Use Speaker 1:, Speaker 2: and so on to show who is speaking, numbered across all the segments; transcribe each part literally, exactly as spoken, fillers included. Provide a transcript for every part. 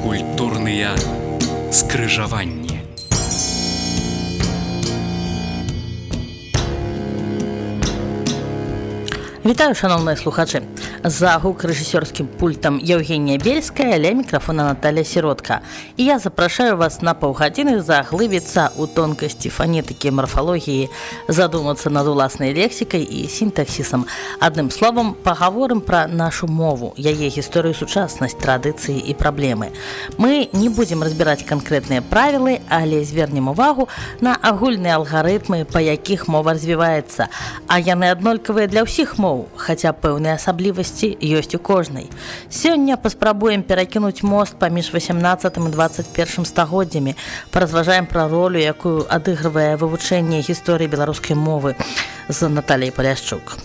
Speaker 1: Культурныя скрыжаванні.
Speaker 2: Вітаю, шановныя слухачы. За гук рэжысёрскім пультам Евгения Бельская, ля мікрафона Наталья Сиротка. І я запрашаю вас на паўгадзіны заглыбіцца ў тонкасці фанетыкі, марфалогіі, задумацца над уласнай лексікай і сінтаксісам. Адным словам, пагаворым пра нашу мову, яе гісторыю, сучаснасць, традыцыі і праблемы. Мы не будзем разбіраць канкрэтныя правілы, але звернем увагу на агульныя алгарытмы, па якіх мова развіваецца, а яны аднолькавыя для ўсіх моў, хаця пэўныя асаблівасці ёсць у кожнай. Сёння паспрабуем перакінуць мост паміж васямнаццатым і дваццаць першым стагоддзямі, паразважаем пра ролю, якую адыгрывае вывучэнне гісторыі беларускай мовы з Натальяй Паляшчук.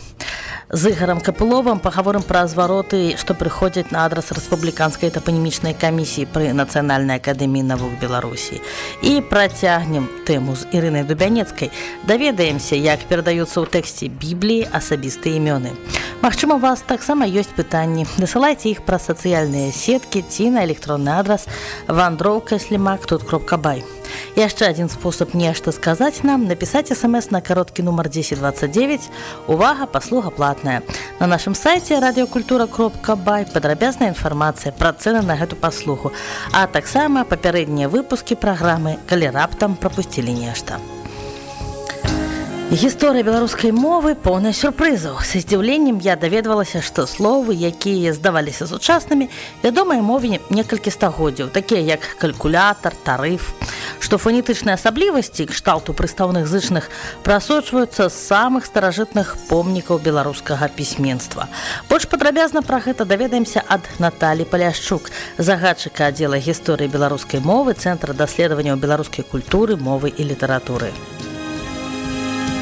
Speaker 2: З Ігорам Капыловым пагаворым пра звароты, што прыходзяць на адрас рэспубліканскай тапанімічнай камісіі пры Нацыянальнай акадэміі навук Беларусі. І працягнем тэму з Ірынай Дубянецкай. Даведаемся, як перадаюцца ў тэксце Бібліі асабістыя імёны. Магчыма, у вас таксама ёсць пытанні. Дасылайце іх праз сацыяльныя сеткі ці на электронны адрас вандроўка слімак тут кропка бай. Яшчэ адзін спосаб нешта сказаць нам, напісаць эс-эм-эс на кароткі нумар дзесяць дваццаць дзевяць. Увага, паслуга платная. На нашым сайце радыёкультура кропка бай падрабязная інфармацыя пра цэны на гэту паслугу, а таксама папярэднія выпускі праграмы, калі раптам прапусцілі нешта. Гісторыя беларускай мовы поўная сюрпрызаў. Са здзіўленнем я даведвалася, што словы, якія здаваліся сучаснымі, вядомыя мове некалькі стагоддзяў, такія як калькулятар, тарыф, што фонетычныя асаблівасці кшталту прыстаўных зычных прасочваюцца з самых старажытных помнікаў беларускага пісьменства. Больш падрабязна пра гэта даведаемся ад Наталі Паляшчук, загадчыка аддзела гісторыі беларускай мовы Цэнтра даследаванняў беларускай культуры, мовы і літаратуры.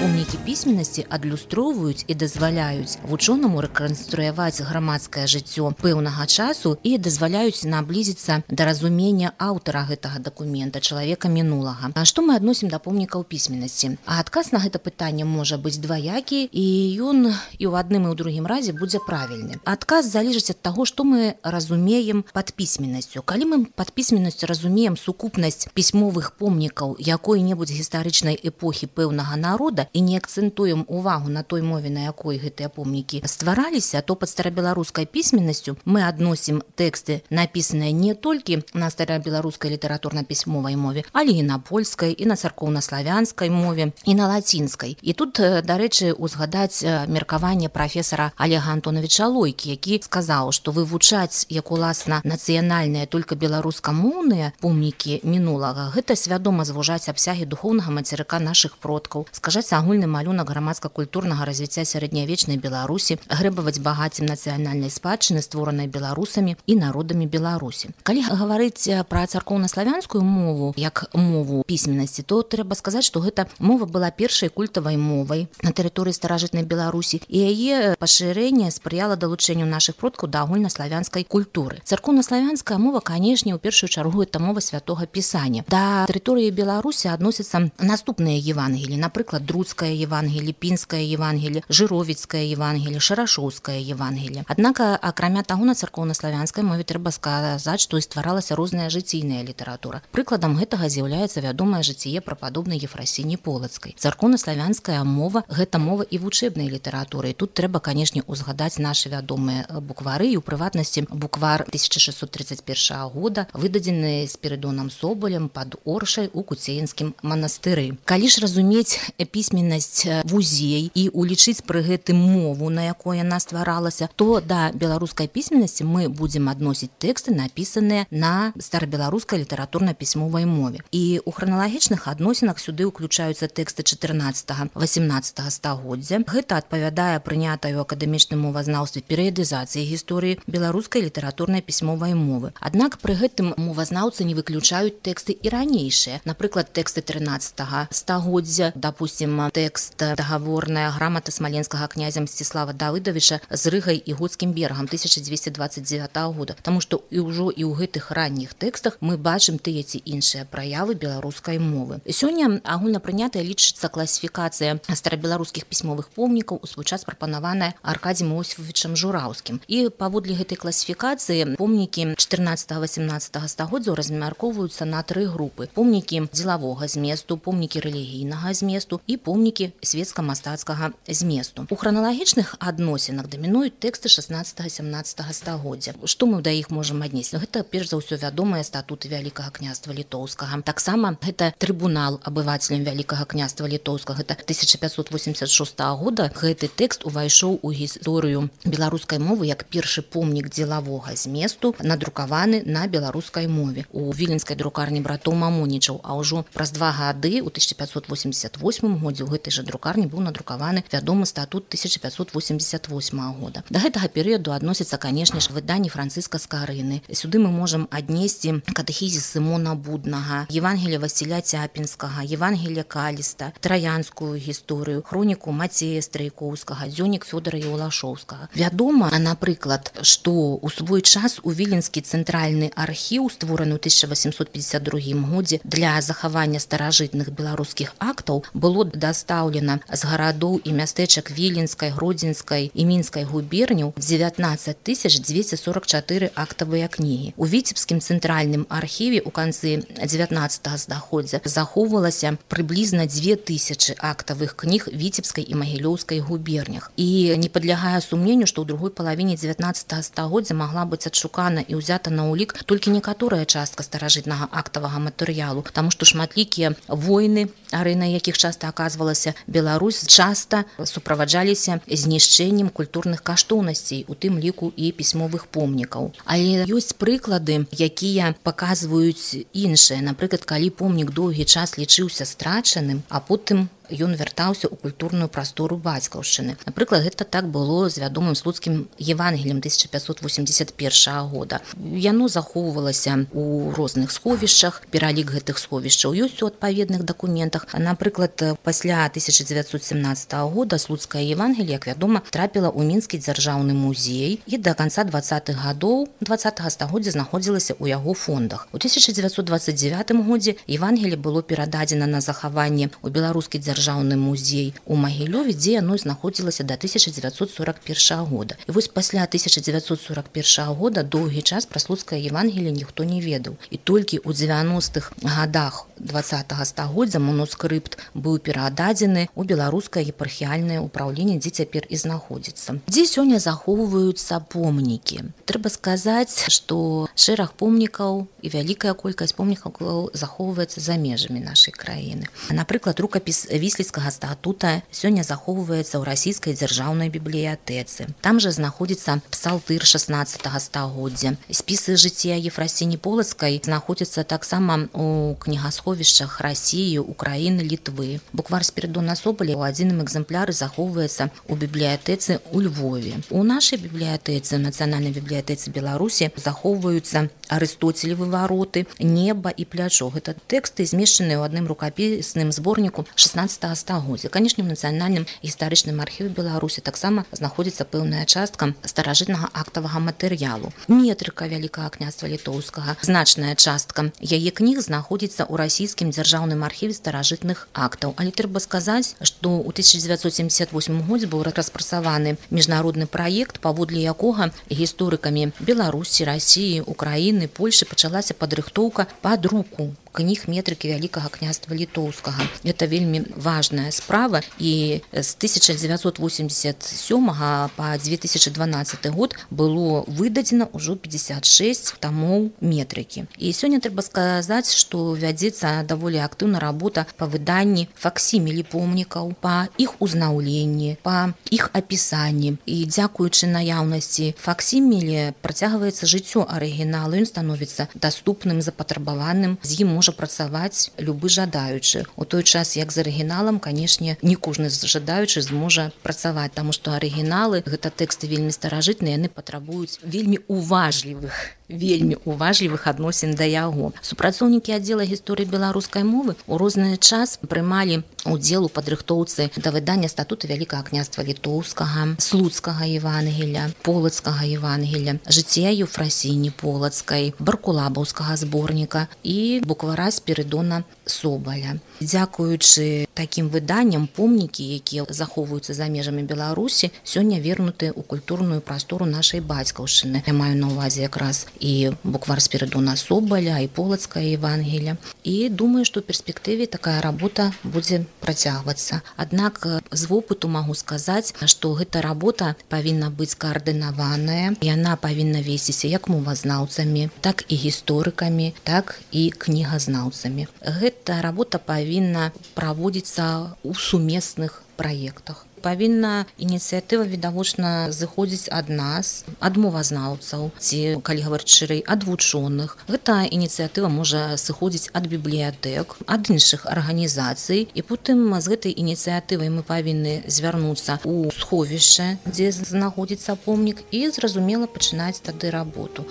Speaker 3: Помнікі пісьменнасці адлюстроўваюць і дазваляюць вучонаму рэканструяваць грамадскае жыццё пэўнага часу і дазваляюць наблізіцца да разумення аўтара гэтага дакумента, чалавека мінулага. А што мы адносім да помнікаў пісьменнасці? А адказ на гэта пытанне можа быць дваякі, і ён і ў адным і ў другім разе будзе правільны. Адказ залежыць ад таго, што мы разумеем пад пісьменнасцю. Калі мы пад пісьменнасцю разумеем сукупнасць пісьмовых помнікаў якой-небудзь гістарычнай эпохі пэўнага народа, і не акцэнтуем увагу на той мове, на якой гэтыя помнікі ствараліся, то пад старабеларускай пісьменнасцю мы адносім тэксты, напісаныя не толькі на старабеларускай літаратурна-пісьмовай мове, але і на польскай, і на царкоўна-славянскай мове, і на лацінскай. І тут, дарэчы, узгадаць меркаванне прафесара Олега Антоновича Лойкі, які сказаў, што вывучаць, як уласна, нацыянальныя, толькі беларускамоўныя помнікі мінулага, гэта свядома звужаць абсягі духоўнага мацерыка нашых продкаў, скажаць агульны малюнак грамадска-культурнага развіцця сярэднявечнай Беларусі, грэбаваць багаццем нацыянальнай спадчыны, створанай беларусамі і народамі Беларусі. Калі гаварыць пра царкоўна-славянскую мову як мову пісьменнасці, то трэба сказаць, што гэта мова была першай культавай мовай на тэрыторыі старажытнай Беларусі, і яе пашырэнне спрыяла далучэнню нашых продкаў да агульнаславянскай культуры. Царкоўна-славянская мова, канешне, у першую чаргу гэта мова святога пісання. Да тэрыторыі Беларусі адносяцца наступныя евангеліі, напрыклад, Друцкае Евангелие, Пінскае Евангелие, Жыровіцкае Евангелие, Шарашоўскае Евангелие. Аднак, акрамя таго, на царкоўна-славянскай мове трэба сказаць, што і стваралася розная жыційная літаратура. Прыкладам гэтага з'яўляецца вядомае жыццё прападобнай Ефрасіні Полацкай. Царкоўна-славянская мова – гэта мова і вучэбнай літаратуры. І тут трэба, канешне, узгадаць нашы вядомыя буквары, і ў прыватнасці буквар тысяча шэсцьсот трыццаць першага года, выдадзены Спірыдонам Соболем пад Оршай у Куцеінскім манастыры. Калі ж разумець пісьменнасць вузей і улічыць пры гэтым мову, на якой яна стваралася, то да беларускай пісьменнасці мы будзем адносіць тэксты, напісаныя на старабеларускай літаратурна-пісьмовай мове. І ў храналагічных адносінах сюды ўключаюцца тэксты чатырнаццатага-васямнаццатага стагоддзя. Гэта адпавядае прынятай у акадэмічным мовазнаўстве перыядызацыі гісторыі беларускай літаратурна-пісьмовай мовы. Аднак пры гэтым мовазнаўцы не выключаюць тэксты і ранейшыя. Напрыклад, тэксты трынаццатага стагоддзя, допустим, тэкст дагаворная грамата смаленскага князя Мсціслава Давыдавіча з Рыгай і Готскім бергам тысяча дзвесце дваццаць дзевятага года. Таму што і ўжо і ў гэтых ранніх тэкстах мы бачым тыя ці іншыя праявы беларускай мовы. Сёння агульнапрынятая лічыцца класіфікацыя старабеларускіх пісьмовых помнікаў у свой час прапанаваная Аркадзіем Осіповічам Жураўскім. І паводле гэтай класіфікацыі помнікі чатырнаццатага-васямнаццатага стагоддзяў размяркоўваюцца на тры групы: помнікі дзелавога зместу, помнікі рэлігійнага зместу і помнікі светска-мастацкага зместу. У храналагічных адносінах дамінуюць тэксты шаснаццатага-сямнаццатага стагоддзя. Што мы да іх можам аднесці? Гэта перш за ўсё вядомыя статуты Вялікага княства Літоўскага. Таксама гэта трыбунал абывацелям Вялікага княства Літоўскага. Гэта тысяча пятьсот восемьдесят шестага года гэты тэкст увайшоў у гісторыю беларускай мовы як першы помнік дзелавога зместу, надрукаваны на беларускай мове у віленскай друкарні братоў Мамонічаў. А ўжо праз два гады у тысяча пятьсот восемьдесят восьмым годзе ў гэтай жа друкарні быў надрукаваны вядомы статут тысяча пятьсот восемьдесят восьмага года. Да гэтага перыяду адносіцца, канешне ж, выданні Францыска Скарыны. Сюды мы можам аднесці катэхізіс Сымона Буднага, Евангелие Васіля Цяпінскага, Евангелие Каліста, траянскую гісторыю, хроніку Мацея Страйкоўскага, дзённік Фёдора Еўлашоўскага. Вядома, напрыклад, што ў свой час у Віленскі цэнтральны архіў, створаны ў тысяча восемьсот пятьдесят другім годзе для захавання старажытных беларускіх актаў, было дастаўлена з гарадоў і мястэчак Віленскай, Гродзенскай і Мінскай губерняў дзевятнаццаць тысяч дзвесце сорок чатыры актавыя кнігі. У Віцебскім цэнтральным архіве ў канцы дзевятнаццатага стагоддзя захоўвалася прыблізна дзве тысячы актавых кніг Віцебскай і Магілёўскай губернях. І не падлягае сумненню, што ў другой палавіне дзевятнаццатага стагоддзя магла быць адшукана і ўзята на ўлік толькі некаторая частка старажытнага актавага матэрыялу, таму што шматлікія войны, арэнай якіх часта аказвалася Беларусь, часта суправаджаліся знішчэннем культурных каштоўнасцей, у тым ліку і пісьмовых помнікаў. Але ёсць прыклады, якія паказваюць іншае. Напрыклад, калі помнік доўгі час лічыўся страчаным, а потым ён вяртаўся ў культурную прастору бацькаўшчыны. Напрыклад, гэта так было з вядомым слуцкім Евангеліем тысяча пятьсот восемьдесят первага года. Яно захоўвалася ў розных сховішчах, пералік гэтых сховішчаў ёсць у адпаведных дакументах. Напрыклад, пасля тысяча девятьсот семнадцатага года слуцкае Евангелие, як вядома, трапіла ў Мінскі дзяржаўны музей і да канца двадцатых гадоў двадцатага стагоддзя знаходзілася ў яго фондах. У тысяча девятьсот двадцать девятым годзе Евангелие было перададзена на захаванне ў беларускі дзяржаўны дзяржаўны музей у Магілёве, дзе яно знаходзілася да тысяча девятьсот сорок первага года. І вось пасля тысяча девятьсот сорок первага года доўгі час пра слуцкае Евангелие ніхто не ведаў. І толькі ў дзевяностых гадах двадцатага стагоддзя манускрыпт быў перададзены ў беларускае епархіяльнае ўпраўленне, дзе цяпер і знаходзіцца. Дзе сёння захоўваюцца помнікі? Трэба сказаць, што шэраг помнікаў і вялікая колькасць помнікаў захоўваецца за межамі нашай краіны. Напрыклад, рукапіс Вісліцкага статута сёння захоўваецца ў расійскай дзяржаўнай бібліятэцы. Там жа знаходзіцца псалтыр шаснаццатага стагоддзя. Спісы жыцця Ефрасіні Полацкай знаходзяцца таксама ў кнігасховішчах Расіі, Украіны, Літвы. Буквар Спіридона Соболя ў адзіным экземпляры захоўваецца ў бібліятэцы ў Львове. У нашай бібліятэцы, нацыянальнай бібліятэцы Беларусі, захоўваюцца Арыстоцелевы вароты, неба і плячо. Гэта тэксты, змешчаныя ў адным рукапісным зборніку шаснаццатага стагоддзя. Канешне, у нацыянальным гістарычным архіве Беларусі таксама знаходзіцца пэўная частка старажытнага актавага матэрыялу. Метрыка Вялікага княства Літоўскага. Значная частка яе кніг знаходзіцца ў расійскім дзяржаўным архіве старажытных актаў. Але трэба сказаць, што ў тысяча девятьсот семьдесят восьмым годзе быў распрацаваны міжнародны праект, паводле якога гісторыкамі Беларусі, Расіі, Украіны, Польшы пачалася падрыхтоўка пад руку кніг метрыкі Вялікага княства Літоўскага. Это вельмі важная справа, і з тысяча девятьсот восемьдесят сёмага па две тысячи дванаццаты год было выдадзена ўжо пятьдесят шесть тамоў метрыкі. І сёння трэба сказаць, што вядзецца даволі актыўна работа па выданні факсімілі помнікаў, па іх узнаўленні, па іх апісанні. І дзякуючы наяўнасці факсімілі працягваецца жыццё арыгінала, ён становіцца даступным, запатрабаваным, з ім можа працаваць любы жадаючы. У той час, як з арыгіналам, канешне, не кожны жадаючы зможа працаваць, таму што арыгіналы, гэта тэксты вельмі старажытныя, яны патрабуюць вельмі уважлівых вельмі уважлівых адносін да яго. Супрацоўнікі аддзела гісторыі беларускай мовы ў розны час прымалі удзел у падрыхтоўцы да выдання статута Вялікага княства Літоўскага, Слуцкага Евангелля, Полацкага Евангелля, жыцця Еўфрасіні Полацкай, Баркулабаўскага зборніка і буквара Спірыдона Собаля. Дзякуючы такім выданням, помнікі, якія захоўваюцца за межамі Беларусі, сёння вернуты ў культурную прастору нашай бацькаўшчыны. Я маю на ўвазе якраз і буквар Спірыдона Собаля, і Полацкае Евангелля. І думаю, што ў перспектыве такая работа будзе працягвацца. Аднак з вопыту магу сказаць, што гэта работа павінна быць каардынаваная, яна павінна весціся як мовазнаўцамі, так і гісторыкамі, так і кнігазнаўцамі. Гэта работа павінна праводзіцца ў сумесных праектах. Павінна ініцыятыва відавочна зыходзіць ад нас, ад мовазнаўцаў, ці, калі гаварыць шырэй, ад вучоных. Гэта ініцыятыва можа сыходзіць ад бібліятэк, ад іншых арганізацый, і потым з гэтай ініцыятывай мы павінны звярнуцца ў сховішча, дзе знаходзіцца помнік, і зразумела пачынаць тады работу.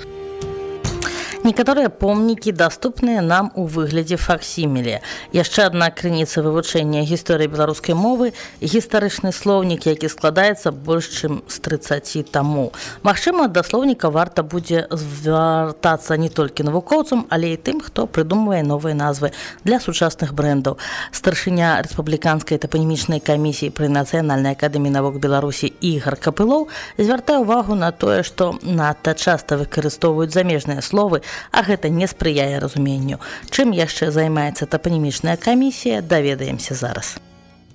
Speaker 2: Некаторыя помнікі даступныя нам у выглядзе факсіміле. Яшчэ адна крыніца вывучэння гісторыі беларускай мовы – гістарычны слоўнік, які складаецца больш чым з трыццаці тамоў. Магчыма, да слоўніка варта будзе звяртацца не толькі навукоўцам, але і тым, хто прыдумвае новыя назвы для сучасных брэндаў. Старшыня рэспубліканскай тапанімічнай камісіі пры Нацыянальнай акадэміі навук Беларусі Ігар Капылоў звяртае ўвагу на тое, што надта часта выкарыстоўваюць замежныя словы, а гэта не спрыяе разуменню. Чым яшчэ займаецца тапанімічная камісія, даведаемся зараз.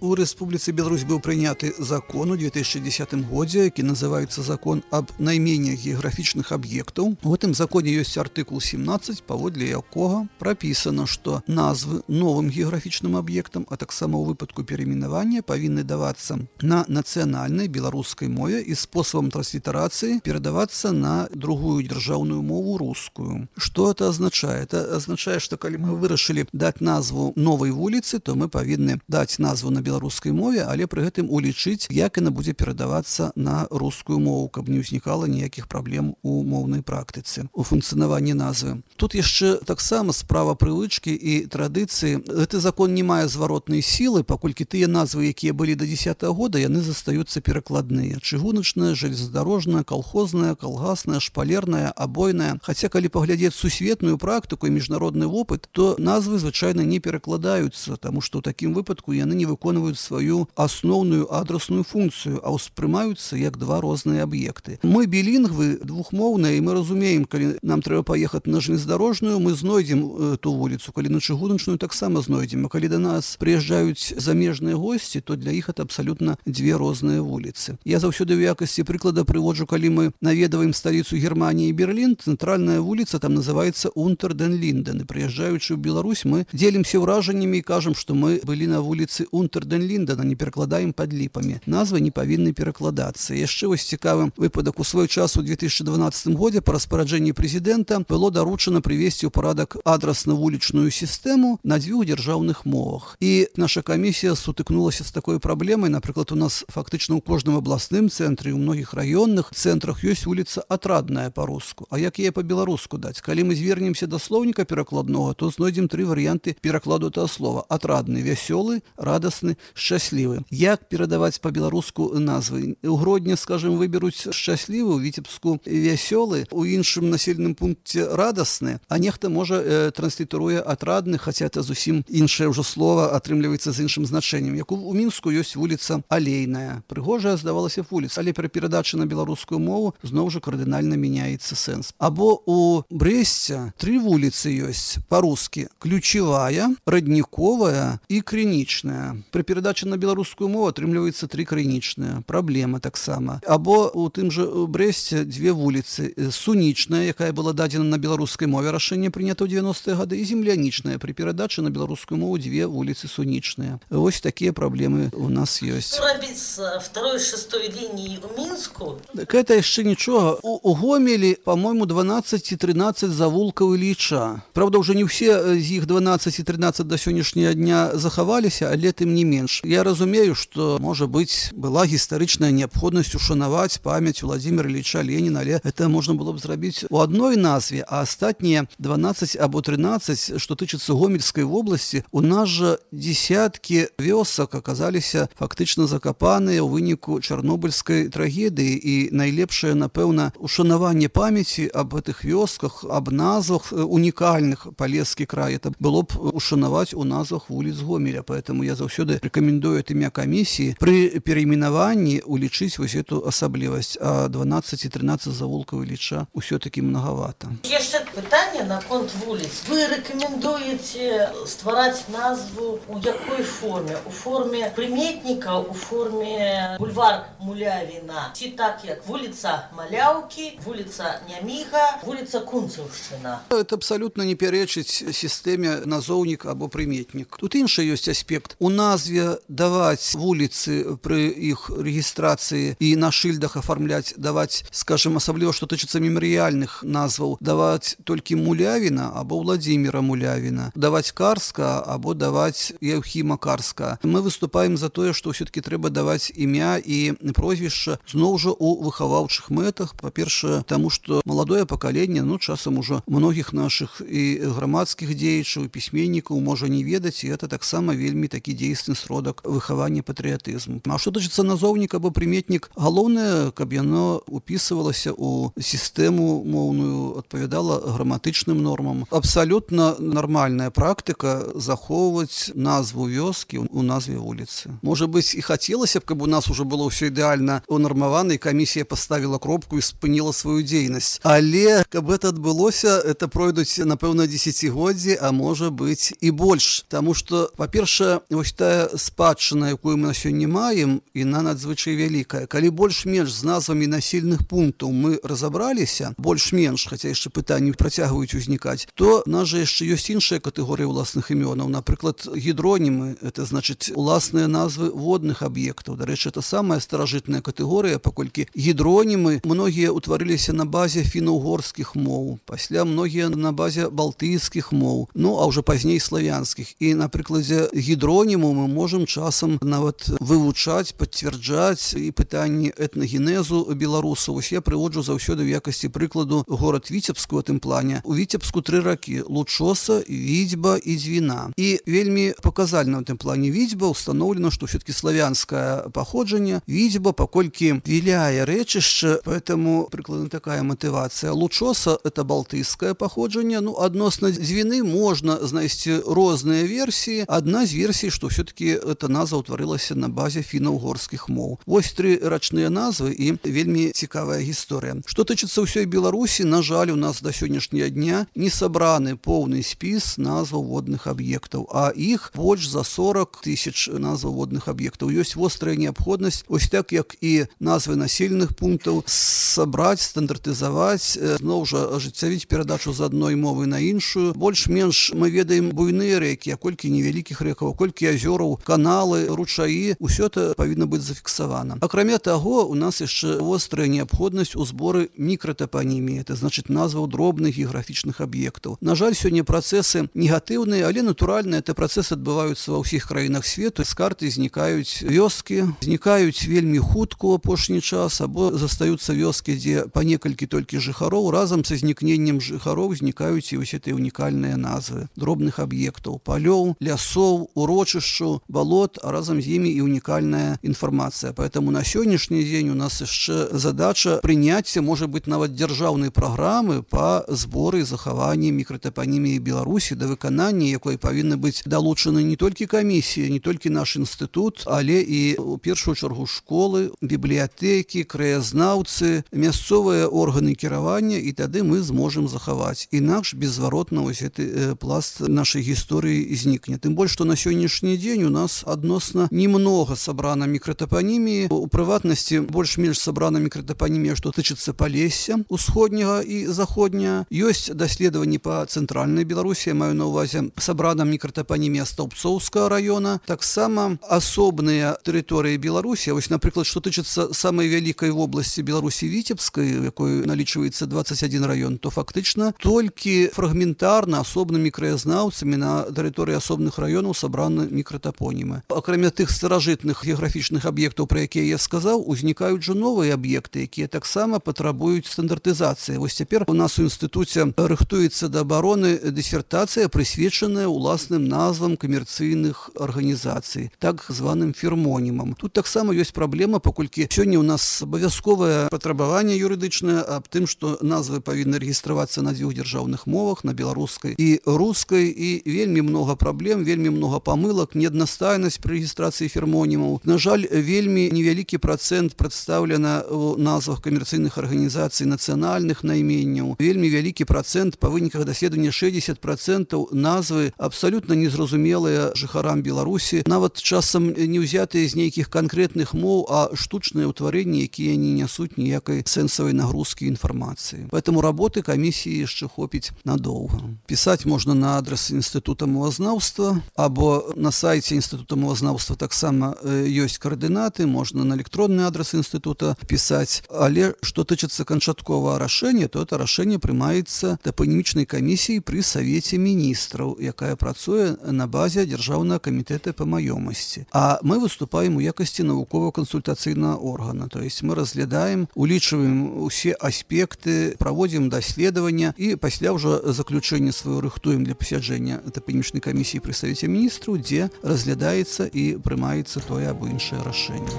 Speaker 4: У Рэспубліцы Беларусь быў прыняты закон у две тысячи десятым годзе, які называецца закон аб найменнях геаграфічных аб'ектаў. У гэтым законе ёсць артыкул семнадцаць, паводле якога прапісана, што назвы новым геаграфічным аб'ектам, а таксама ў выпадку перайменавання павінны давацца на нацыянальнай беларускай мове і спосабам транслітарацыі перадавацца на другую дзяржаўную мову рускую. Што это азначае? Это азначае, што калі мы вырашылі даць назву новай вуліцы, то мы павінны даць назву на беларускай мове, але пры гэтым улічыць, як яна будзе перадавацца на рускую мову, каб не ўзнікала ніякіх праблем у моўнай практыцы, у функцыянаванні назвы. Тут яшчэ таксама справа прывычкі і традыцыі. Гэты закон не мае зваротнай сілы, паколькі тыя назвы, якія былі да дзесятага года, яны застаюцца перакладныя. Чыгуначная, жалезнадарожная, калхозная, калгасная, шпалерная, абойная. Хаця, калі паглядзець сусветную практыку і міжнародны вопыт, то назвы звычайна не перакладаюцца, таму што ў такім выпадку яны не выконваюць сваю асноўную адрасную функцыю, а ўспрымаюцца як два розныя аб'екты. Мы білінгвы, двухмоўныя, і мы разумеем, калі нам трэба паехаць на жалезнадарожную, мы знойдзем ту вуліцу, калі на чыгуначную таксама знойдзем. А калі да нас прыязджаюць замежныя госці, то для іх это абсалютна дзве розныя вуліцы. Я заўсёды ў якасці прыклада прыводжу, калі мы наведваем сталіцу Германіі Берлін, цэнтральная вуліца там называецца Унтер-ден-Линден. І прыязджаючы ў Беларусь, мы дзелімся ўражаннямі і кажам, што мы былі на вуліцы Унтер-ден-Линдена, не перакладаем пад ліпамі. Назвы не павінны перакладацца. Яшчэ вось цікавы выпадак. У свой час у две тысячи дванаццатым годзе па распараджэнні прэзідэнта было даручана прывесці ў парадак адрасна-вулічную сістэму на дзвюх дзяржаўных мовах. І наша камісія сутыкнулася з такой праблемай. Напрыклад, у нас фактычна ў кожным абласным цэнтры, у многіх раённых цэнтрах ёсць вуліца Атрадная па-руску. А як яе па-беларуску даць? Калі мы звернемся да слоўніка перакладнога, то знойдзем тры варыянты перакладу этого слова. Атрадны, вясёлы, радасны, шчаслівы. Як перадаваць па-беларуску назвы? У Гродні, скажем, выберуць шчаслівы, у Віцебску вясёлы, у іншым населеным пункце радасны, а нехта можа э, транслітаруе атрадны, хаця это зусім іншае ўжо слова атрымліваецца з іншым значэннем. Як у, у Мінску ёсць вуліца Алейная. Прыгожая, здавалася, вуліца, але пры перадачы на беларускую мову зноў жа кардынальна мяняецца сэнс. Або у Брэсце тры вуліцы ёсць па-рускі: ключевая, радніковая і крынічная. Пры перадачы на беларускую мову атрымліваецца тры крынічныя. Праблема таксама. Або у тым жа Брэсце дзве вуліцы: сунічная, якая была дадзена на беларускай мове, рашэнне прынята ў дзевяностыя гады, і землянічная. Пры перадачы на беларускую мову дзве вуліцы сунічныя. Вось такія праблемы у нас ёсць.
Speaker 2: Што рабіць з второй шестой лініі ў Мінску?
Speaker 4: Так это яшчэ нічога. У, у Гомелі, по-моему, дванаццаць і трынаццаць завулкаў Ілліча. Правда, ўжо не ўсе з іх дванаццаць і трынаццаць да сённяшняга дня захаваліся, але тым не менш, я разумею, што, можа быць, была гістарычная неабходнасць ушанаваць памяць Владзіміра Ілліча Леніна, але это можна было б зрабіць у адной назве, а астатнія дванаццаць або трынаццаць, што тычыцца Гомельскай вобласці, у нас жа десяткі вёсак аказаліся фактычна закапаныя ў выніку чарнобыльскай трагедыі, і найлепшае, напэўна, ушанаванне памяці аб гэтых вёсках, аб назвах унікальных Палескі край, это было б ушанаваць у назвах вуліц Гомеля, поэтому я заўсёды рэкамендую от імя камісіі пры перайменаванні улічыць вось эту асаблівасць, а дванаццаць і трынаццаць завулкаў Ілліча ўсё-таки многовато.
Speaker 2: Яшчэ пытанне наконт вуліц. Вы рэкамендуеце ствараць назву у якой форме? У форме прыметніка, у форме бульвар Мулявіна, ці так як вуліца Маляўкі, вуліца Няміга, вуліца Кунцаўшчына?
Speaker 4: Это абсолютно не пярэчыць сістэме назоўнік або прыметнік. Тут іншы ёсць аспект. У назве даваць вуліцы пры іх рэгістрацыі і на шыльдах афармляць, даваць, скажем, асабліва, што тычыцца мемарыяльных назваў, даваць толькі Мулявіна або Владзіміра Мулявіна, даваць Карска або даваць Яўхіма Карска. Мы выступаем за тое, што ўсё-таки трэба даваць імя і прозвішча зноў жа у выхаваўчых мэтах. Па-першае, таму што маладое пакаленне, ну, часам ужо многіх нашых і грамадскіх дзеячаў, і пісьменнікаў можа не ведаць, і это таксама вельмі такі дзейсны сродак выхавання патрыятызму. А што тычыцца назоўнік або прыметнік, галоўнае, каб яно упісывалася ў сістэму моўную, адпавядала граматычным нормам. Абсалютна нармальная практыка захоўваць назву вёскі у назве вуліцы. Можа быць, і хацелася б, каб у нас уже было ўсё ідэальна унармавана, і камісія паставіла кропку і спыніла сваю дзейнасць. Але каб это адбылося, это пройдуць, напэўна, дзесяцігоддзі, а можа быць і больш. Таму што, па-першае, вось тая спадчына, якую мы на сёння маем, іна надзвычай вялікая. Калі больш-менш з назвамі населеных пунктаў мы разабраліся, больш-менш, хаця яшчэ пытанні працягваюць узнікаць, то у нас жа яшчэ ёсць іншая катэгорыя ўласных імёнаў. Напрыклад, гідронімы, это значыць уласныя назвы водных аб'ектаў. Дарэчы, это самая старажытная катэгорыя, паколькі гідронімы многія ўтварыліся на базе фіна-угорскіх моў, пасля многія на базе балтыйскіх моў, ну, а ўжо пазней славянскіх. І на прыкладзе гідроніму мы можам часам нават вывучаць, пацвярджаць і пытанні этнагенезу беларусаў. Вось я прыводжу заўсёды ў якасці прыкладу горад Віцебску у тым плане. У Віцебску тры ракі: Лучоса, Відзьба і Дзвіна. І вельмі паказальна ў тым плане Відзьба установлена, што ўсё-таки славянскае паходжанне. Відзьба, паколькі віляе рэчышча, поэтому прыкладна такая матывацыя. Лучоса — это балтыйскае паходжанне. Ну, адносна Дзвіны можна знайсці розныя версіі. Адна з версій, што ўсё-таки эта назва ўтварылася на базе фіна-угорскіх моў. Вось тры рачныя назвы і вельмі цікавая гісторыя. Што тычыцца ўсёй Беларусі, на жаль, у нас да сённяшняга дня не сабраны поўны спіс назваў водных аб'ектаў, а іх больш за сорок тысяч назваў водных аб'ектаў. Ёсць вострая неабходнасць, ось так як і назвы населеных пунктаў, сабраць, стандартызаваць, зноў жа ажыццявіць перадачу з адной мовы на іншую. Больш-менш мы ведаем буйныя рэкі, а колькі невялікіх рэкаў, колькі азёраў, каналы, ручаі, усё это павінна быць зафіксавана. Акрамя таго, у нас яшчэ вострая неабходнасць у зборы мікратапаніміі, это значыць назваў дробных геаграфічных аб'ектаў. На жаль, сёння працэсы негатыўныя, але натуральна, это працэсы адбываюцца ва ўсіх краінах свету. З карты знікаюць вёскі, знікаюць вельмі хутка ў апошні час, або застаюцца вёскі, дзе па некалькі толькі жыхароў. Разам са знікненнем жыхароў знікаюць і вось гэтыя унікальныя назвы дробных аб'ектаў, палёў, лясоў, урочышчаў, балот, а разам з імі і унікальная інфармацыя. Поэтому на сённяшні дзень у нас яшчэ задача прыняцця, можа быць, нават дзяржаўнай праграмы па зборы і захаванні мікратапаніміі Беларусі, да выканання якой павінны быць далучаны не толькі камісія, не толькі наш інстытут, але і у першую чаргу школы, бібліятэкі, краязнаўцы, мясцовыя органы кіравання, і тады мы зможам захаваць. Інакш беззваротна вось гэты пласт нашай гісторыі знікне. Тым больш, што на сённяшні дзень у нас адносна немнога сабрана мікратапаніміі. У прыватнасці больш-менш сабрана мікратапанімія, што тычыцца Палесся усходняга і заходняга. Ёсць даследаванні па цэнтральнай Беларусі, я маю на ўвазе сабрана мікратапанімія Стаўбцоўскага раёна. Таксама асобныя тэрыторыі Беларусі, вось, напрыклад, што тычыцца самай вялікай вобласці Беларусі Віцебскай, якой налічваецца дваццаць адзін раён, то фактычна толькі фрагментарна асобнымі краязнаўцамі на тэрыторыі асобных раёнаў сабраны мікратапонімы. топонімы. Акрамя тых старажытных геаграфічных аб'ектаў, пра якія я сказаў, узнікаюць жа новыя аб'екты, якія таксама патрабуюць стандартызацыі. Вось цяпер у нас у інстытуце рыхтуецца да абароны дысертацыя, прысвечаная уласным назвам камерцыйных арганізацый, так званым фірмонімам. Тут таксама ёсць праблема, паколькі сёння у нас абавязковае патрабаванне юрыдычнае аб тым, што назвы павінны рэгістравацца на дзвюх дзяржаўных мовах, на беларускай і рускай, і вельмі многа праблем, вельмі многа памылак, неаднастайнасць пры рэгістрацыі фірмонімаў. На жаль, вельмі невялікі працэнт прадстаўлена ў назвах камерцыйных арганізацый нацыянальных найменняў. Вельмі вялікі працэнт, па выніках даследавання шэсцьдзесят працэнтаў назвы абсалютна незразумелыя жыхарам Беларусі, нават часам не ўзятыя з нейкіх канкрэтных моў, а штучныя ўтварэнні, якія не нясуць ніякай сэнсавай нагрузкі інфармацыі. Поэтому работы камісіі яшчэ хопіць надоўга. Пісаць можна на адрес інстытута мовазнаўства, або на сайце інстытута мовазнаўства таксама ёсць каардынаты, можна на электронны адрес інстытута пісаць. Але што тычыцца канчатковага рашэння, то это рашэнне прымаецца топанімічнай камісіяй пры Савеце міністраў, якая працуе на базе Дзяржаўнага камітэта па маёмасці. А мы выступаем у якасці навукова-кансультацыйнага органа, то есть мы разглядаем, улічваем усе аспекты, праводзім даследавання і пасля ўжо заключэнне сваё рыхтуем для пасяджэння топанімічнай камісіі пры Савеце міністраў, дзе разглядаецца і прымаецца тое або іншае рашэнне.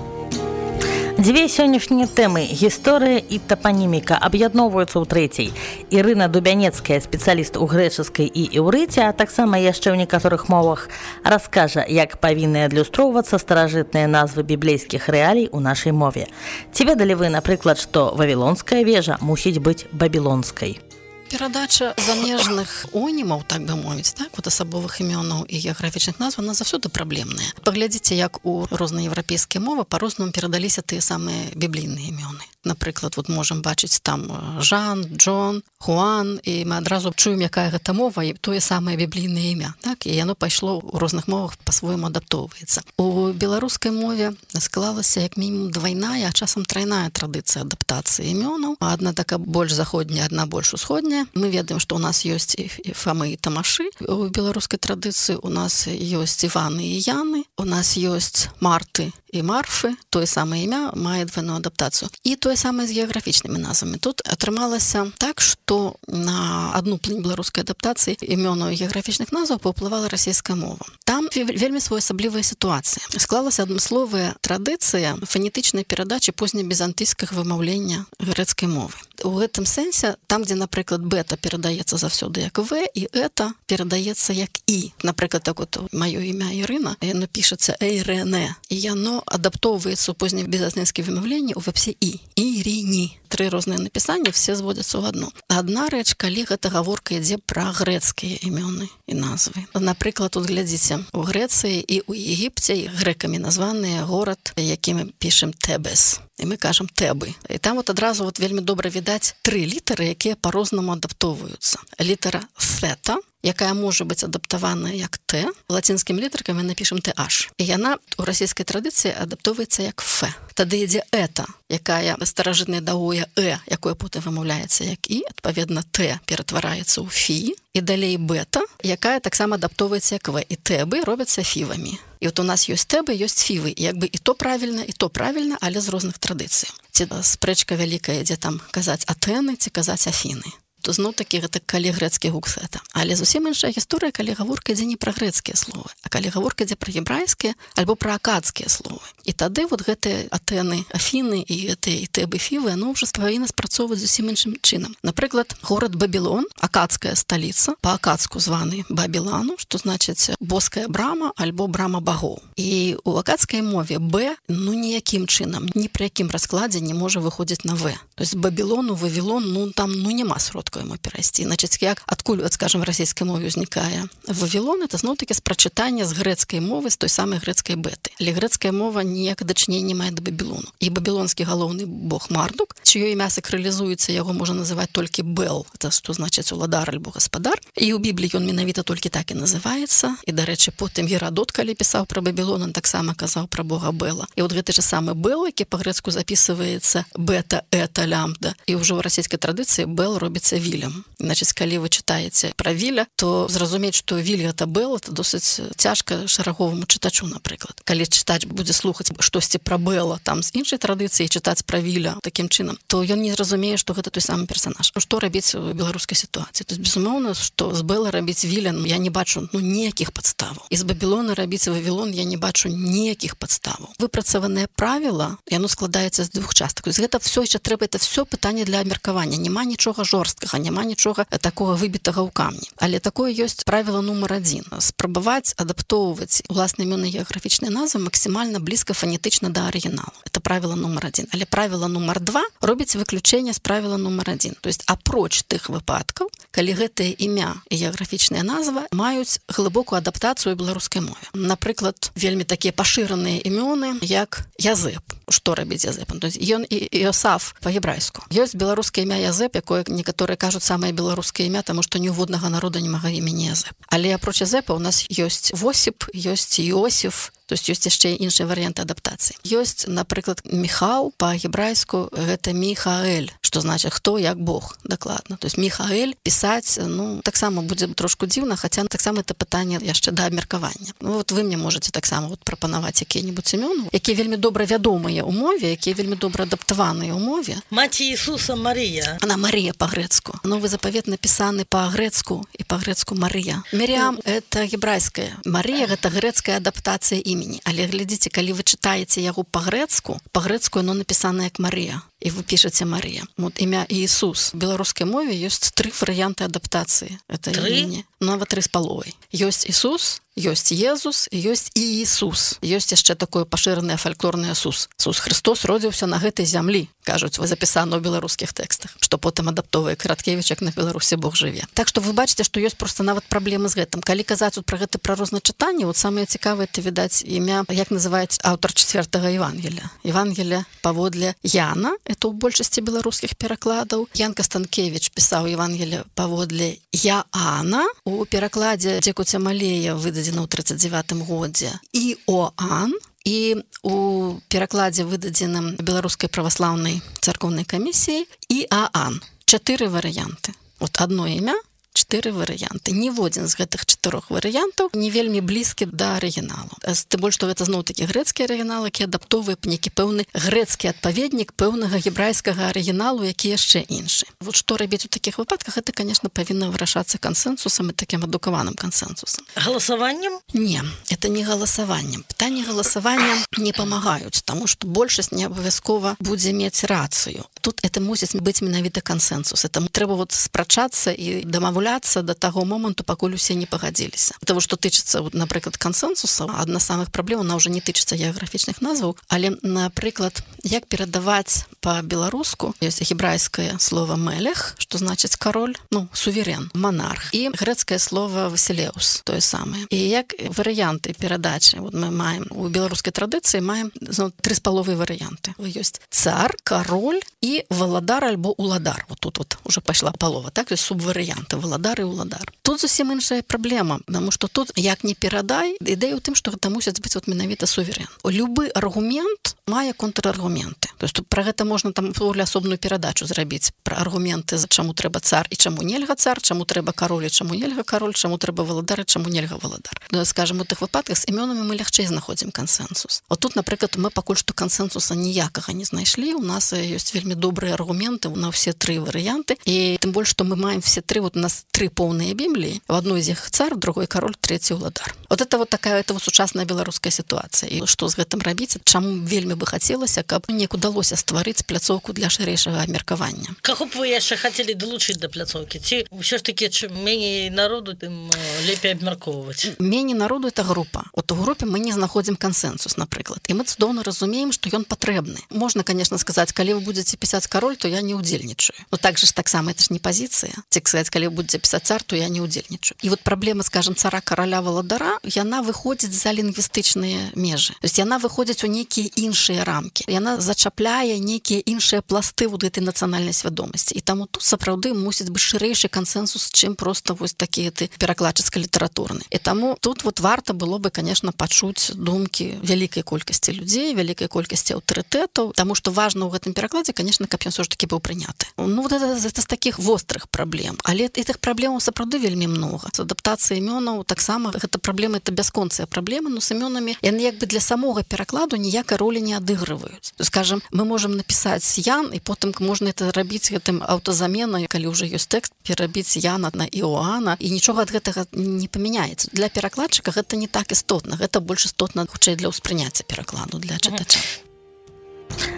Speaker 2: Дзве сённяшнія тэмы – гісторыя і тапаніміка – аб'ядноўваюцца ў трэцяй. Ірына Дубянецкая, спецыяліст у грэчаскай і іўрыце, а таксама яшчэ ў некаторых мовах, раскажа, як павінны адлюстроўвацца старажытныя назвы біблейскіх рэалій у нашай мове. Ці ведалі вы, напрыклад, што вавілонская вежа мусіць быць бабілонскай?
Speaker 5: Перадача замежных онімаў, так бы мовіць, так, вот асабовых імёнаў і геаграфічных назв, она заўсёды праблемная. Паглядзіце, як у розныя еўрапейскія мовы па-рознаму перадаліся тыя самыя біблійныя імёны. Напрыклад, вот можам бачыць там Жан, Джон, Хуан, і мы адразу чуем, якая гэта мова, і тое самае біблійнае імя, так, і яно пайшло ў розных мовах па-свойму адаптоўваецца. У беларускай мове склалася як мінімум двайная, а часам трайная традыцыя адаптацыі імёнаў. Адна такая больш заходняя, адна больш усходняя. Мы ведаем, што ў нас ёсць і Фамы і Тамашы. У беларускай традыцыі у нас ёсць Іваны і Яны, у нас ёсць Марты і Марфы, тое самае імя мае двойную адаптацыю. І тое самае з геаграфічнымі назвамі. Тут атрымалася так, што на адну плынь беларускай адаптацыі імёнаў і геаграфічных назваў паўплывала расійская мова. Там вельмі своеасаблівая сітуацыя. Склалася адмысловая традыцыя фанетычнай перадачы познебізантыйскага вымаўлення грэцкай мовы. У гэтым сэнсе, там, дзе, напрыклад, бета перадаецца заўсёды як В, і эта перадаецца як І. Напрыклад, так вот, маё імя Ірына, яно пішацца Эйрэне, і яно адаптоўваецца ў познебізантыйскім вымаўленні ў вэпсе І. Іріні. Тры розныя напісанні, все зводзяцца ў адно. Адна рэч, калі гэта гаворка ідзе пра грэцкія імёны і назвы. Напрыклад, тут глядзіце, у Грэцыі і ў Егіпце грэкамі названыя горад, які мы пішем Тэбес. І мы кажам Тэбы. І там вот адразу вот вельмі добра відаць тры літары, якія па-рознаму адаптоўваюцца. Літара Фета, якая можа быць адаптаваная як Т, лацінскімі літаркамі напішем Т H. І яна у расійскай традыцыі адаптоўваецца як Ф. Тады ідзе Эта, якая старажытнае дагое Э, якое потым вымаўляецца як І, адпаведна Т ператвараецца ў Фі, і далей Бета, якая таксама адаптоўваецца як В. І Тэбы робяцца фівамі. І от у нас ёсць Тэбы, ёсць фівы, і як бы і то правільна, і то правільна, але з розных традыцый. Ці спрэчка вялікая, дзе там казаць Атэны, ці казаць Афіны. То зноў-такі гэта калі грэцкі гук Сета. Але зусім іншая гісторыя, калі гаворка ідзе не пра грэцкія словы, а калі гаворка ідзе пра гебрайскія альбо пра акадскія словы. І тады вот гэтыя Атэны, Афіны і гэтыя і Тэбы, фівы, яно ўжо павінна спрацоўваць зусім іншым чынам. Напрыклад, горад Бабілон, акадская сталіца, па-акадску званы Бабілану, што значыць боская брама альбо брама багоў. І у акадскай мове Б, ну ніякім чынам, ні пры якім раскладзе не можа выходзіць на В. То есть Бабілону, Вавілон, ну там ну няма сродку яму перайсці. Значыць, як адкуль, от, скажем, расійскай мове ўзнікае Вавілон, это зноў-такі спрачытанне з грэцкай мовы, з той самай грэцкай беты. Але грэцкая мова ніякае дачынення мае да Бабілону. І бабілонскі галоўны бог Мардук, чыё імя сакралізуецца, яго можна называць толькі Бел, это што значыць уладар альбо гаспадар. І ў Бібліі ён менавіта толькі так і называецца. І, дарэчы, потым Герадот, калі пісаў пра Бабілон, он таксама казаў пра бога Бела. І от гэты ж самы Бел, які па-грэцку запісваецца бета, эта, лямбда. І ўжо ў расійскай традыцыі Бел робіцца вілем. Значыць, калі вы чытаеце пра віля, то зразумець, што віль гэта Бэл, это досыць цяжка шараговаму чытачу, напрыклад. Калі чытач будзе слухаць штосьці пра Бэла там з іншай традыцыі, чытаць пра віля такім чынам, то ён не зразумее, што гэта той самы персанаж. Што рабіць у беларускай сітуацыі? То есть, безумоўна, што з Бэла рабіць віля, я не бачу ну, ніякіх падставаў. І з Бабілона рабіць Вавілон я не бачу ніякіх падставаў. Выпрацаванае правіла, яно складаецца з двух частак. То есть, гэта все яшчэ трэба, это все пытанне для абмеркавання. Няма нічога жорсткага, няма нічога такога выбітага ў камні. Але такое ёсць правіла нумар адзін. Спрабаваць адаптоўваць уласныя імёны геаграфічныя назвы максімальна блізка фанетычна да арыгіналу. Это правіла нумар адзін. Але правіла нумар два робіць выключэнне з правіла нумар адзін. То есть апроч тых выпадкаў, калі гэтае імя і геаграфічная назва маюць глыбокую адаптацыю ў беларускай мове. Напрыклад, вельмі такія пашыраныя імёны, як Язэп. Што рабіць Язэпам? То есть ён і Іосаф па-гебрайску. Ёсць беларускае імя Язэп, якое некаторыя кажуць самае беларускае імя, таму што ні ў воднага народа няма імені Язэп. Але апроч Язэпа у нас ёсць Восіп, ёсць Іосіф, то есть ёсць яшчэ іншыя варыянты адаптацыі. Ёсць, напрыклад, Міхал па-гебрайску гэта Міхаэль, што значыць хто як Бог, дакладна. То есть Міхаэль пісаць, ну, таксама будзе трошку дзіўна, хаця таксама это пытанне яшчэ да абмеркавання. Ну, вот вы мне можаце таксама вот прапанаваць якія-небудзь імёны, якія вельмі добра вядомыя ў мове, якія вельмі добра адаптаваныя ў мове.
Speaker 2: Маці Ісуса Марія.
Speaker 5: Она Марія па-грэцку. Новы запавет напісаны па-грэцку і па-грэцку Марія. Мірям это гебрайская. Марія гэта грэцкая адаптацыя імені. Але глядзіце, калі вы чытаеце яго па-грэцку, па-грэцку яно напісана як Марія. І вы пішаце Марія. Вот імя Іісус. В беларускай мове ёсць тры варыянты адаптацыі. Это імені. Нават тры з паловай. Ёсць Ісус, ёсць Езус і ёсць Іісус. Ёсць яшчэ такое пашыранае фальклорнае Сус. Сус Христос родзіўся на гэтай зямлі, кажуць, вы запісана ў беларускіх тэкстах, што потым адаптовае Караткевіч, як на Беларусі Бог жыве. Так што вы бачыце, што ёсць проста нават праблемы з гэтым. Калі казаць пра гэта пра розначытанне, вот самае цікавае это відаць імя, як называецца аўтар чацвёртага Евангелія. Евангелія паводле Яна, это ў большасці беларускіх перакладаў. Ян Кастанкевіч пісаў Евангелія паводле Яана. У перакладзе Дзекуця Малея выдадзена ў тридцать девятым годзе Іоанн. І у перакладзе выдадзеным беларускай праваслаўнай царкоўнай камісіяй Іаан. Чатыры варыянты. Вот одно імя, чатыры варыянты. Ніводзін з гэтых чатырох варыянтаў не вельмі блізкі да арыгіналу. Тым больш, што гэта зноў-такі грэцкі арыгінал, які адаптоўвае нейкі пэўны грэцкі адпаведнік пэўнага гебрайскага арыгіналу, які яшчэ іншы. Вот што рабіць у такіх выпадках, гэта, конечно, павінна вырашацца кансэнсусам і такім адукаваным кансэнсусам.
Speaker 2: Галасаваннем?
Speaker 5: Не, это не галасаваннем. Пытанні галасавання не памагаюць, таму што большасць не абавязкова будзе мець рацыю. Тут это мусіць быць менавіта кансэнсус. Это трэба вот спрачацца і дамаўляцца до таго моманту, пакуль усе не пагадзіліся. Того, што тычыцца, вот, напрыклад, кансэнсуса, адна з самых праблем, она ўжо не тычыцца геаграфічных назваў, але, напрыклад, як перадаваць па-беларуску, ёсць гебрайскае слова мелех, што значыць кароль, ну, суверен, монарх, і грэцкае слова васілеус, тое самае. І як варыянты перадачы, вот мы маем у беларускай традыцыі маем ну, тры з паловай варыянты. Ёсць цар, кароль і валадар альбо уладар. Вот тут вот уже пайшла палова, так, ёсць субварыянты валадар і уладар. Тут зусім іншая праблема, потому што тут як не перадай, ідэя ў тым, што гэта мусіць быць вот менавіта суверен. Любы аргумент мае контраргументы. То есть пра гэта можна там асобную перадачу зрабіць пра аргументы, чаму трэба цар і чаму нельга цар, чаму трэба кароль і чаму нельга кароль, чаму трэба валадар і чаму нельга валадар. Ну, скажем, у тых выпадках з імёнамі мы лягчэй знаходзім кансэнсус. Вот тут, напрыклад, мы пакуль што кансэнсуса ніякага не знайшлі. У нас ёсць вельмі добрыя аргументы на ўсе тры варыянты. І тым больш, што мы маем все тры, вот у нас тры поўныя Бібліі. В одной з іх цар, в другой кароль, третий уладар. Вот это вот такая это вот сучасная беларуская сітуацыя. І што з гэтым рабіць? Чаму вельмі бы хацелася, каб неяк удалося стварыць пляцоўку для шырэйшага абмеркавання.
Speaker 2: Каго б вы яшчэ хацелі далучыць да пляцоўкі? Ці ўсё ж такі, чым меней народу, тым лепей абмяркоўваць? Меней
Speaker 5: народу это група. Вот у групе мы не знаходзім кансэнсус, напрыклад. І мы цудоўна разумеем, што ён патрэбны. Можна, конечно, сказаць, калі вы будзеце пісаць кароль, то я не ўдзельнічаю. Ну так же ж таксама это ж не пазіцыя. Ці сказаць, калі вы будзеце напісаць цар, то я не ўдзельнічаю. І вот праблема, скажем, цара караля валадара, яна выходзіць за лінгвістычныя межы. То есть яна выходзіць у нейкія іншыя рамкі. Яна зачапляе нейкія іншыя пласты вот гэтай нацыянальнай свядомасці. І таму тут сапраўды мусіць быць шырэйшы кансенсус, чым проста вось такі ты перакладчыцка-літаратурны. І таму тут вот варта было бы, конечно, пачуць думкі вялікай колькасці людзей, вялікай колькасці аўтарытэтаў, таму што важна ў гэтым перакладзе, конечно, каб ён все ж таки быў прыняты. Ну, вот это, это з такіх вострых праблем. Але гэтых праблемаў сапраўды вельмі многа. З адаптацыяй імёнаў таксама гэта праблема, это бясконцыя праблемы, но з імёнамі яны як бы для самога перакладу ніякай ролі не адыгрываюць. Скажем, мы можам напісаць Ян, і потым можна это рабіць гэтым аўтазаменай, калі ўжо ёсць тэкст, перабіць Яна на Іоанна, і нічога ад гэтага не памяняецца. Для перакладчыка гэта не так істотна, гэта больш істотна хутчэй для ўспрыняцця перакладу для чытача.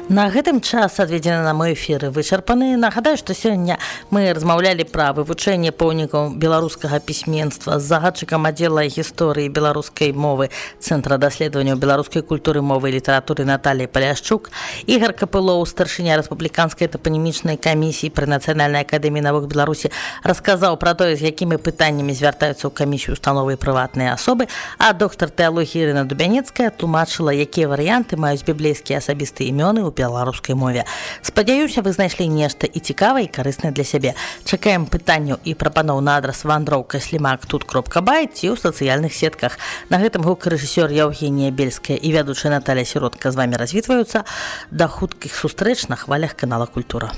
Speaker 2: На гэтым час, адведзены на мой эфіры, вычарпаны. Нагадаю, што сёння мы размаўлялі пра вывучэнне помнікаў беларускага пісьменства з загадчыкам аддзела гісторыі беларускай мовы Цэнтра даследаванняў беларускай культуры, мовы і літаратуры Наталіяй Паляшчук. Ігар Капылоў, старшыня рэспубліканскай тапанімічнай камісіі пры Нацыянальнай акадэміі навук Беларусі, расказаў пра тое, з якімі пытаннямі звяртаюцца ў камісію установы і прыватныя асобы, а доктар тэалогіі Ірына Дубяніцкая тлумачыла, якія варыянты маюць біблейскія асабістыя імёны ў беларускай мове. Спадзяюся, вы знайшлі нешта і цікавае, і карыснае для сябе. Чакаем пытанняў і прапаноў на адрас вандроўка слімак тут кропка бай ці ў сацыяльных сетках. На гэтым гукарэжысёр Яўгенія Бельская і вядучая Наталія Сіротка з вамі развітваюцца. Да хуткіх сустрэч на хвалях канала Культура.